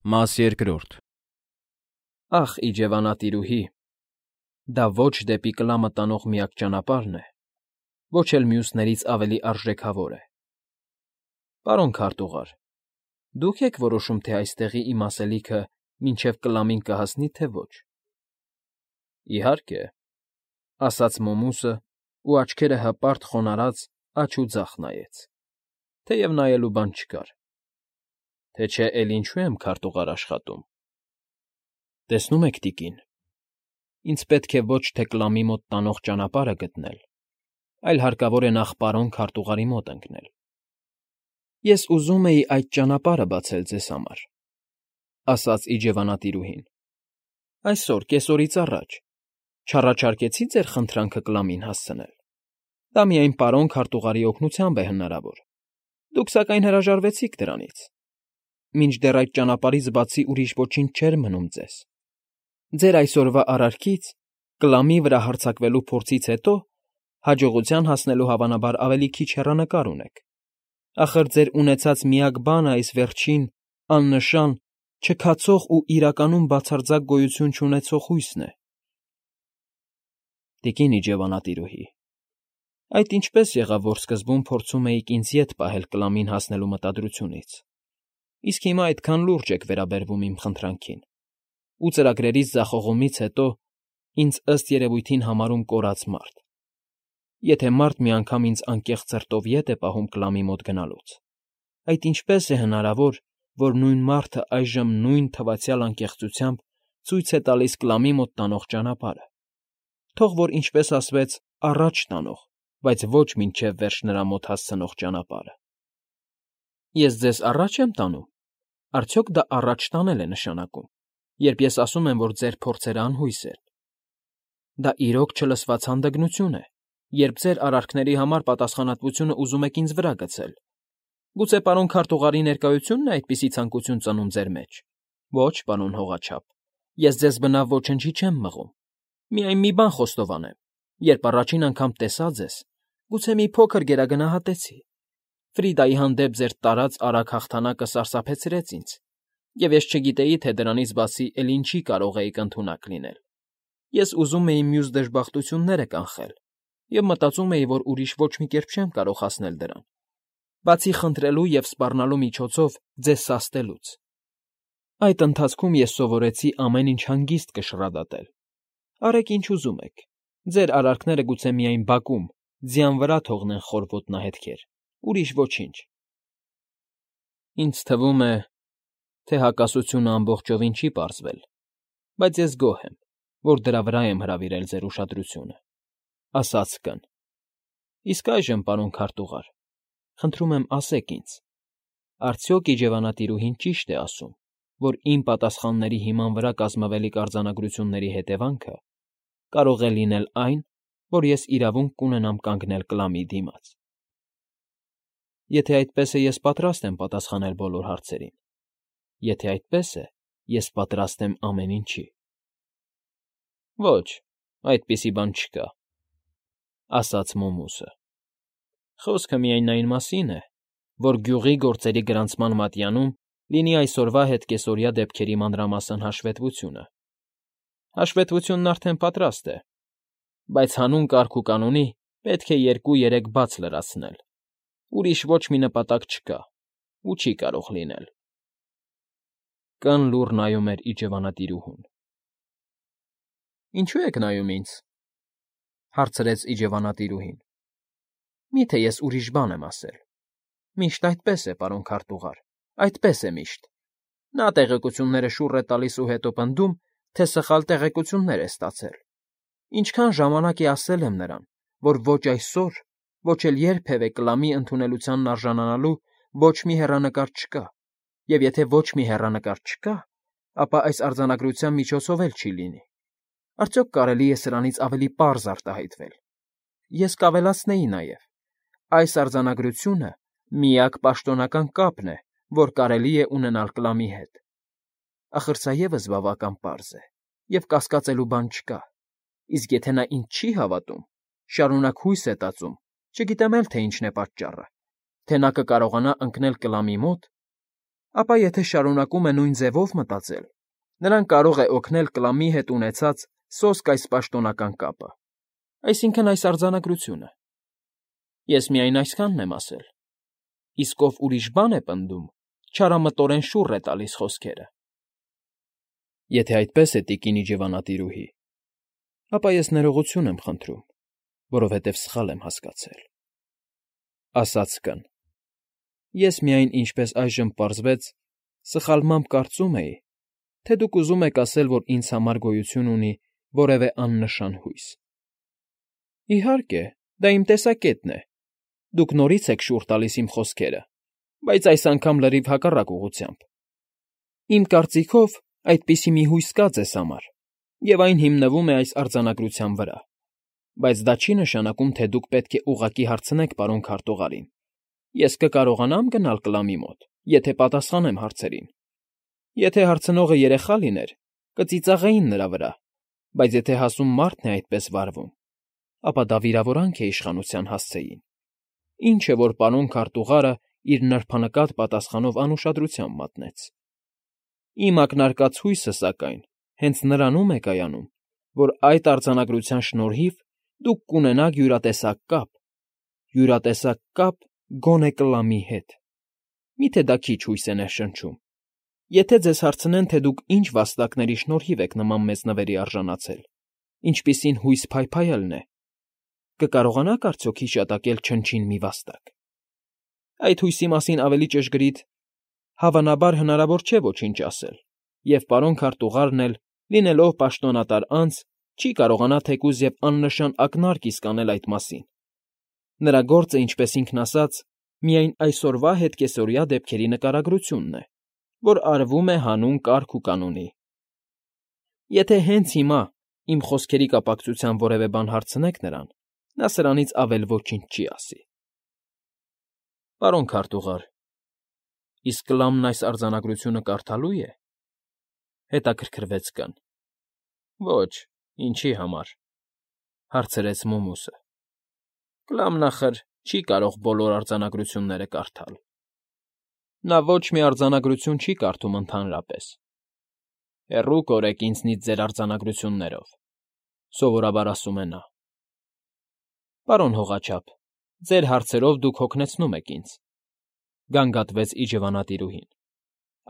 Մաս երկրորդ Ախ, իջևանատիրուհի, դա ոչ դեպի կլամը տանող միակ ճանապարհն է, ոչ էլ մյուսներից ավելի արժեքավոր է։ Պարոն քարտուղար, դուք եք որոշում, թե այստեղի իմ ասելիքը մինչև կլամին կհասնի, թե ոչ։ Իհարկե, ասաց Մոմուսը ու աչքերը հպարտ խոնարհած աջ ու ձախ նայեց, թեև նայելու բան չկար։ Թե չէ էլ ինչու եմ քարտուղար աշխատում։ Տեսնում եք, տիկին, ինձ պետք է ոչ թե կլամի մոտ տանող ճանապարհը գտնել, այլ հարկավոր է նախ պարոն քարտուղարի մոտ ընկնել։ Ես ուզում էի այդ ճանապարհը բացել ձեզ համար, ասաց իջևանատիրուհին։ Այսօր, կեսօրից առաջ, չառաջարկեցի ձեր խնդրանքը կլամին հասցնել։ Դա միայն պարոն քարտուղարի օգնությամբ է հնարավոր։ Դուք, սակայն, հրաժարվեցիք դրանից։ Մինչդեռ այդ ճանապարհից բացի ուրիշ ոչինչ չէր մնում ձեզ։ Ձեր այսօրվա արարքից, կլամի վրա հարձակվելու փորձից հետո, հաջողության հասնելու հավանաբար ավելի քիչ հեռանկար ունեք։ Ախր ձեր ունեցած միակ բանը այս վերջին, աննշան, չքացող ու իրականում բացարձակ գոյություն չունեցող հույսն է։ Տիկին իջևանատիրուհի, այդ ինչպես եղավ, որ սկզբում փորձում էիք ինձ ետ պահել կլամին հասնելու մտադրությունից, իսկ հիմա այդքան լուրջ եք վերաբերվում իմ խնդրանքին, ու ծրագրերից ձախողումից հետո ինձ ըստ երևույթին համարում կորած մարդ։ Եթե մարդ մի անգամ ինձ անկեղծ սրտով ետ է պահում կլամի մոտ գնալուց, այդ ինչպես է հնարավոր, որ նույն մարդը այժմ նույն թվացյալ անկեղծությամբ ցույց է տալիս կլամի մոտ տանող ճանապարհը, թող որ, ինչպես ասվեց, առաջ տանող, բայց ոչ մինչև վերջ նրա մոտ հասցնող ճանապարհը։ Ես ձեզ առաջ եմ տանում։ Արդյոք դա առաջ տանել է նշանակում, երբ ես ասում եմ, որ ձեր փորձերը անհույս են։ Դա իրոք չլսված հանդգնություն է, երբ ձեր արարքների համար պատասխանատվությունը ուզում եք ինձ վրա գցել։ Գուցե պարոն քարտուղարի ներկայությունն է այդպիսի ցանկություն ծնում ձեր մեջ։ Ոչ, պարոն հողաչափ, ես ձեզ բնավ ոչնչի չեմ մղում։ Միայն մի բան խոստովանեմ, երբ առաջին անգամ տեսա ձեզ, գուցե մի փոքր գերագնահատեցի։ Ֆրիդայի հանդեպ ձեր տարած արագ հաղթանակը սարսափեցրեց ինձ, և ես չգիտեի, թե դրանից բացի էլ ինչի կարող էիք ընդունակ լինել։ Ես ուզում էի մյուս դժբախտությունները կանխել և մտածում էի, որ ուրիշ ոչ մի կերպ չեմ կարող հասնել դրան, բացի խնդրելու և սպառնալու միջոցով ձեզ սաստելուց։ Այդ ընթացքում ես սովորեցի ամեն ինչ հանգիստ կշռադատել։ Արեք ինչ ուզում եք, ձեր արարքները գուցե միայն բակում, ձյան վրա թողնեն խոր ոտնահետքեր, ուրիշ ոչինչ։ Ինձ թվում է, թե հակասությունը ամբողջովին չի պարզվել, բայց ես գոհ եմ, որ դրա վրա եմ հրավիրել ձեր ուշադրությունը, ասաց կն։ Իսկ այժմ, պարոն քարտուղար, խնդրում եմ ասեք ինձ, արդյոք իջևանատիրուհին ճիշտ է ասում, որ իմ պատասխանների հիման վրա կազմվելիք արձանագրությունների հետևանքը կարող է լինել այն, որ ես իրավունք կունենամ կանգնել կլամի դիմաց։ Եթե այդպես է, ես պատրաստ եմ պատասխանել բոլոր հարցերին։ Եթե այդպես է, ես պատրաստ եմ ամեն ինչի։ Ոչ, այդպիսի բան չկա, ասաց Մոմուսը։ Խոսքը միայն այն մասին է, որ գյուղի գործերի գրանցման մատյանում լինի այսօրվա հետ կեսօրյա դեպքերի մանրամասն հաշվետվությունը։ Հաշվետվությունն արդեն պատրաստ է, բայց հանուն կարգ ու կանոնի պետք է 2-3 բաց լրացնել։ Ուրիշ ոչ մի նպատակ չկա ու չի կարող լինել։ Կն լուռ նայում էր իջևանատիրուհուն։ Ինչու եք նայում ինձ, հարցրեց իջևանատիրուհին։ Միթե ես ուրիշ բան եմ ասել։ Միշտ այդպես է, պարոն քարտուղար, այդպես է միշտ։ Նա տեղեկությունները շուռ է տալիս ու հետո պնդում, թե սխալ տեղեկություններ է ստացել։ Ինչքան ժամանակ է ասել եմ նրան, որ ոչ այսօր, ոչ էլ երբևէ կլամի ընդունելությանն արժանանալու ոչ մի հեռանկար չկա, և եթե ոչ մի հեռանկար չկա, ապա այս արձանագրության միջոցով էլ չի լինի։ Արդյոք կարելի է սրանից ավելի պարզ արտահայտվել։ Ես կավելացնեի նաև. այս արձանագրությունը միակ պաշտոնական կապն է, որ կարելի է ունենալ կլամի հետ։ Ախր սա ևս բավական պարզ է, և կասկածելու բան չկա։ Իսկ եթե նա ինձ չի հավատում, շարունակ հույս է տածում, չգիտեմ էլ, թե ինչն է պատճառը, թե նա կկարողանա ընկնել կլամի մոտ, ապա եթե շարունակում է նույն ձևով մտածել, նրան կարող է օգնել կլամի հետ ունեցած սոսկ այս պաշտոնական կապը, այսինքն այս արձանագրությունը։ Ես միայն այսքանն եմ ասել, իսկ ով ուրիշ բան է պնդում, չարամտորեն շուռ է տալիս խոսքերը։ Եթե այդպես է, տիկին իջևանատիրուհի, ապա ես ներողություն եմ խնդրում, որովհետև սխալ եմ հասկացել, ասաց կն։ Ես միայն, ինչպես այժմ պարզվեց, սխալմամբ կարծում էի, թե դուք ուզում եք ասել, որ ինձ համար գոյություն ունի որևէ աննշան հույս։ Իհարկե, դա իմ տեսակետն է։ Դուք նորից եք շուռ տալիս իմ խոսքերը, բայց այս անգամ լրիվ հակառակ ուղղությամբ։ Իմ կարծիքով, այդպիսի մի հույս կա ձեզ համար, և այն հիմնվում է այս արձանագրության վրա, բայց դա չի նշանակում, թե դուք պետք է ուղղակի հարցնեք պարոն քարտուղարին։ Ես կկարողանա՞մ գնալ կլամի մոտ, եթե պատասխանեմ հարցերին։ Եթե հարցնողը երեխա լիներ, կծիծաղեին նրա վրա, բայց եթե հասուն մարդն է այդպես վարվում, ապա դա վիրավորանք է իշխանության հասցեին։ Ինչ է, որ պարոն քարտուղարը իր նրբանկատ պատասխանով անուշադրությամբ մատնեց։ Իմ ակնարկած հույսը, սակայն, հենց նրանում է կայանում, որ այդ արձանագրության շնորհիվ դուք կունենաք յուրատեսակ կապ գոնե կլամի հետ։ Միթե դա քիչ հույս է ներշնչում։ Եթե ձեզ հարցնեն, թե դուք ինչ վաստակների շնորհիվ եք նման մեծ նվերի արժանացել, ինչպիսին հույս փայփայելն է, կկարողանաք արդյոք հիշատակել չնչին մի վաստակ։ Այդ հույսի մասին ավելի ճշգրիտ, հավանաբար հնարավոր չէ ոչինչ ասել, և պարոն քարտուղարն էլ, լինելով պաշտոնատար անձ, չի կարողանա թեկուզ և աննշան ակնարկ իսկ անել այդ մասին։ Նրա գործը, ինչպես ինքն ասաց, միայն այսօրվա հետկեսօրյա դեպքերի նկարագրությունն է, որ արվում է հանուն կարգ ու կանոնի։ Եթե հենց հիմա իմ խոսքերի կապակցությամբ որևէ բան հարցնեք նրան, նա սրանից ավել ոչինչ չի ասի։ Պարոն քարտուղար, իսկ կլամն այս արձանագրությունը կարդալո՞ւ է։ Հետաքրքրվեց կն։ Ոչ, ինչի համար, հարցրեց Մումուսը։ Կլամն ախր չի կարող բոլոր արձանագրությունները կարդալ։ Նա ոչ մի արձանագրություն չի կարդում ընդհանրապես։ Հեռու կորեք ինձնից ձեր արձանագրություններով, սովորաբար ասում է նա։ Պարոն հողաչափ, ձեր հարցերով դուք հոգնեցնում եք ինձ, գանգատվեց իջևանատիրուհին։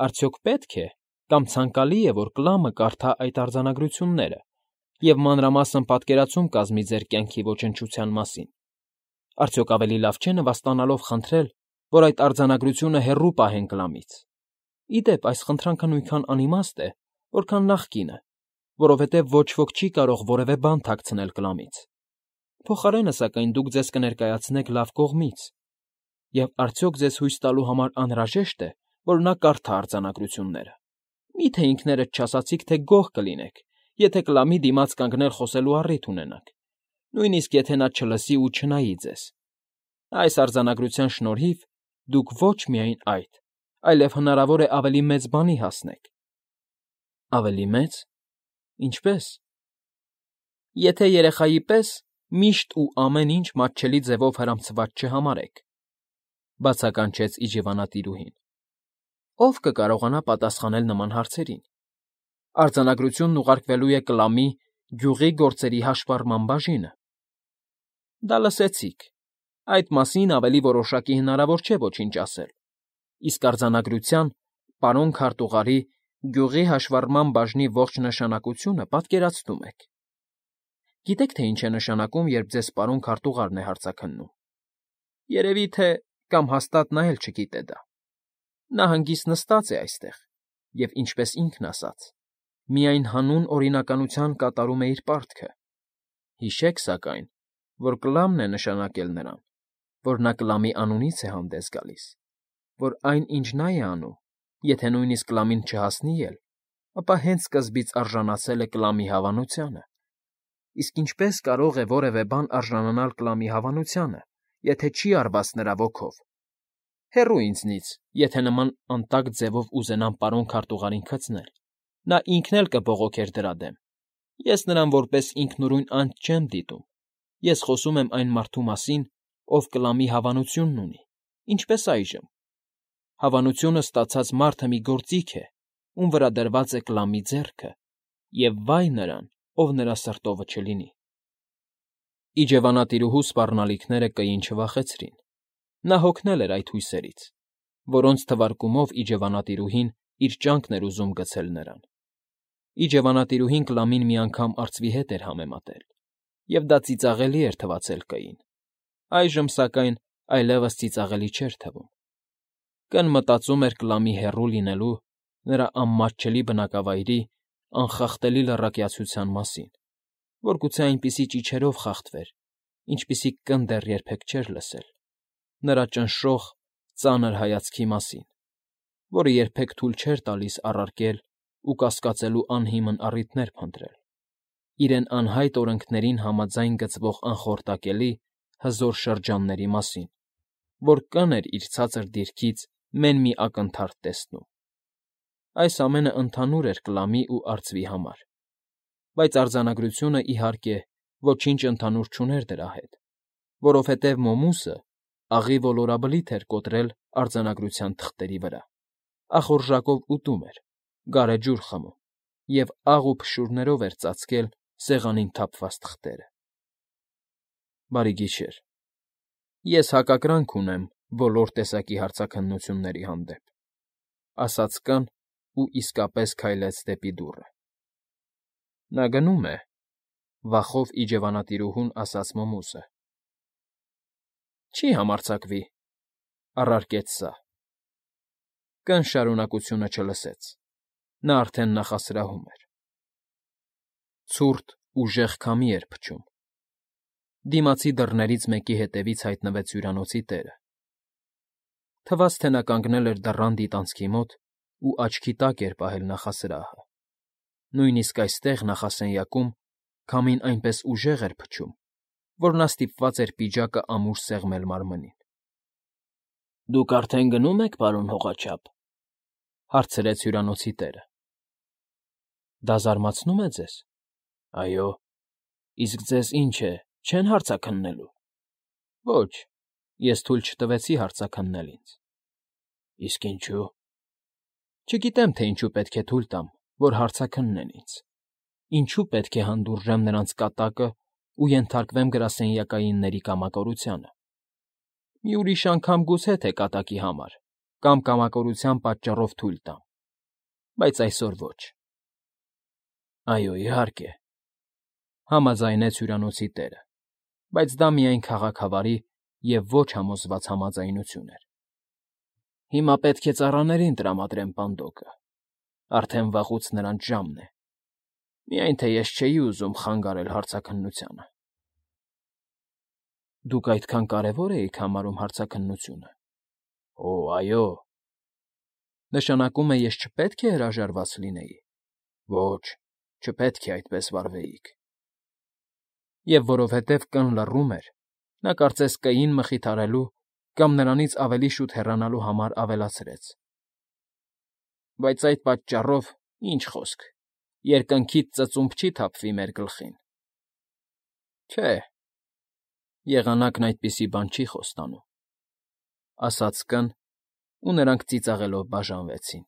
Արդյոք պետք է կամ ցանկալի է, որ կլամը կարդա այդ արձանագրությունները և մանրամասն պատկերացում կազմի ձեր կյանքի ոչնչության մասին։ Արդյոք ավելի լավ չէ նվաստանալով խնդրել, որ այդ արձանագրությունը հեռու պահեն կլամից։ Ի դեպ, այս խնդրանքը նույնքան անիմաստ է, որքան նախկինը, որովհետև ոչ ոք չի կարող որևէ բան թաքցնել կլամից։ Փոխարենը, սակայն, դուք ձեզ կներկայացնեք լավ կողմից, և արդյոք ձեզ հույս տալու համար անհրաժեշտ է, որ նա կարդա արձանագրությունները։ Մի՞թե ինքներդ չասացիք, թե գոհ կլինեք, եթե կլամի դիմաց կանգնել խոսելու առիթ ունենաք, նույնիսկ եթե նա չլսի ու չնայի ձեզ։ Այս արձանագրության շնորհիվ դուք ոչ միայն այդ, այլև հնարավոր է ավելի մեծ բանի հասնեք։ Ավելի մեծ։ Ինչպե՞ս։ Եթե երեխայի պես միշտ ու ամեն ինչ մատչելի ձևով հրամցված չհամարեք, բացականչեց իջևանատիրուհին։ Ո՞վ կկարողանա պատասխանել նման հարցերին։ Արձանագրությունն ուղարկվելու է կլամի գյուղի գործերի հաշվառման բաժինը։ Դա լսեցիք։ Այդ մասին ավելի որոշակի հնարավոր չէ ոչինչ ասել, իսկ արձանագրության պարոն քարտուղարի գյուղի հաշվառման բաժնի ողջ նշանակությունը պատկերացնում եք։ Գիտեք, թե ինչ է նշանակում, երբ ձեզ պարոն քարտուղարն է հարցաքննում։ Երևի թե կամ հաստատ նա էլ չգիտե դա։ Նա հանգիստ նստած է այստեղ և, ինչպես ինքն ասաց, միայն հանուն օրինականության կատարում է իր պարտքը։ Հիշեք, սակայն, որ կլամն է նշանակել նրան, որ նա կլամի անունից է հանդես գալիս, որ այն, ինչ նա է անում, եթե նույնիսկ կլամին չհասնի էլ, ապա հենց սկզբից արժանացել է կլամի հավանությանը։ Իսկ ինչպե՞ս կարող է որևէ բան արժանանալ կլամի հավանությանը, եթե չի արված նրա ոգով։ Հեռու ինձնից, եթե նման անտակտ ձևով ուզենամ պարոն քարտուղարին քցնել, նա ինքն էլ կբողոքեր դրա դեմ։ Ես նրան որպես ինքնուրույն անձ չեմ դիտում։ Ես խոսում եմ այն մարդու մասին, ով կլամի հավանությունն ունի, ինչպես այժմ։ Հավանությունը ստացած մարդը մի գործիք է, ում վրա դրված է Կլամի ձեռքը, և վայ նրան, ով նրա սրտովը չլինի։ Իջևանատիրուհու սպառնալիքները կեին չվախեցրին. նա հոգնել էր այդ հույսերից, որոնց թվարկումով իջևանատիրուհին իր ճանկն էր ուզում գցել նրան։ Իջևանատիրուհին Կլամին մի անգամ արծվի հետ էր համեմատել, և դա ծիծաղելի էր թվացել Կային, այժմ, սակայն, այլևս ծիծաղելի չէր թվում։ Կն մտածում էր Կլամի հեռու լինելու, նրա անմատչելի բնակավայրի անխախտելի լռակյացության մասին, որ գուցե այնպիսի ճիչերով խախտվեր, ինչպիսիք կն դեռ երբեք չէր լսել, նրա ճնշող, ծանր հայացքի մասին, որը երբեք թույլ չէր տալիս առարկել ու կասկածելու անհիմն առիթներ փնտրել, իրեն անհայտ օրենքներին համաձայն գծվող անխորտակելի, հզոր շրջանների մասին, որ կն էր իր ցածր դիրքից մեն մի ակնթարթ տեսնում։ Այս ամենը ընդհանուր էր Կլամի ու արծվի համար, բայց արձանագրությունը, իհարկե, ոչինչ ընդհանուր չուներ դրա հետ, որովհետև Մոմուսը աղի ոլորաբլիթ էր կոտրել արձանագրության թղթերի վրա, ախորժակով ուտում էր, գարեջուր խմում և աղ ու փշուրներով էր ծածկել սեղանին թափված թղթերը։ Բարի գիշեր։ Ես հակակրանք ունեմ բոլոր տեսակի հարցաքննությունների հանդեպ, ասաց կն ու իսկապես քայլեց դեպի դուռը։ Նա գնում է, վախով իջևանատիրուհուն ասաց Մոմուսը։ Չի համարձակվի, առարկեց սա։ Կն շարունակությունը չլսեց, նա արդեն նախասրահում էր։ Ցուրտ, ուժեղ քամի էր փչում։ Դիմացի դռներից մեկի հետևից հայտնվեց հյուրանոցի տերը։ Թվաց, թե նա կանգնել էր դռան դիտանցքի մոտ ու աչքի տակ էր պահել նախասրահը։ Նույնիսկ այստեղ, նախասենյակում, քամին այնպես ուժեղ էր փչում, որ նա ստիպված էր պիջակը ամուր սեղմել մարմնին։ ֊ Դուք արդեն գնո՞ւմ եք, պարոն հողաչափ,֊ հարցրեց հյուրանոցի տերը։ ֊ Դա զարմացնո՞ւմ է ձեզ։ ֊ Այո։ ֊ Իսկ ձեզ, ինչ է, չեն հարցաքննելու։ ֊ Ոչ, ես թույլ չտվեցի հարցաքննել ինձ։ ֊ Իսկ ինչու։ ֊ Չգիտեմ, թե ինչու պետք է թույլ տամ, որ հարցաքննեն ինձ, ինչու պետք է հանդուրժեմ նրանց կատակն ու ենթարկվեմ գրասենյակայինների կամակորությանը։ Մի ուրիշ անգամ գուցե թե կատակի համար կամ կամակորության պատճառով թույլ տամ, բայց այսօր ոչ։ ֊ Այո, իհարկե,֊ համաձայնեց հյուրանոցի տերը, բայց դա միայն քաղաքավարի և ոչ համոզված համաձայնություն էր։ ֊ Հիմա պետք է ծառաներին տրամադրեմ պանդոկը, արդեն վաղուց նրանց ժամն է, միայն թե ես չէի ուզում խանգարել հարցաքննությանը։ ֊ Դուք այդքան կարևո՞ր էիք համարում հարցաքննությունը։ ֊ Օ, այո։ ֊ Նշանակում է, ես չպետք է հրաժարված լինեի։ ֊ Ոչ, չպետք է այդպես վարվեիք։ Եվ որովհետև կն լռում էր, նա կարծես Կային մխիթարելու կամ նրանից ավելի շուտ հեռանալու համար ավելացրեց. ֊ Բայց այդ պատճառով, ինչ խոսք, երկնքից ծծումբ չի թափվի մեր գլխին։ ֊ Չէ, եղանակն այդպիսի բան չի խոստանում,֊ ասաց կն, ու նրանք ծիծաղելով բաժանվեցին։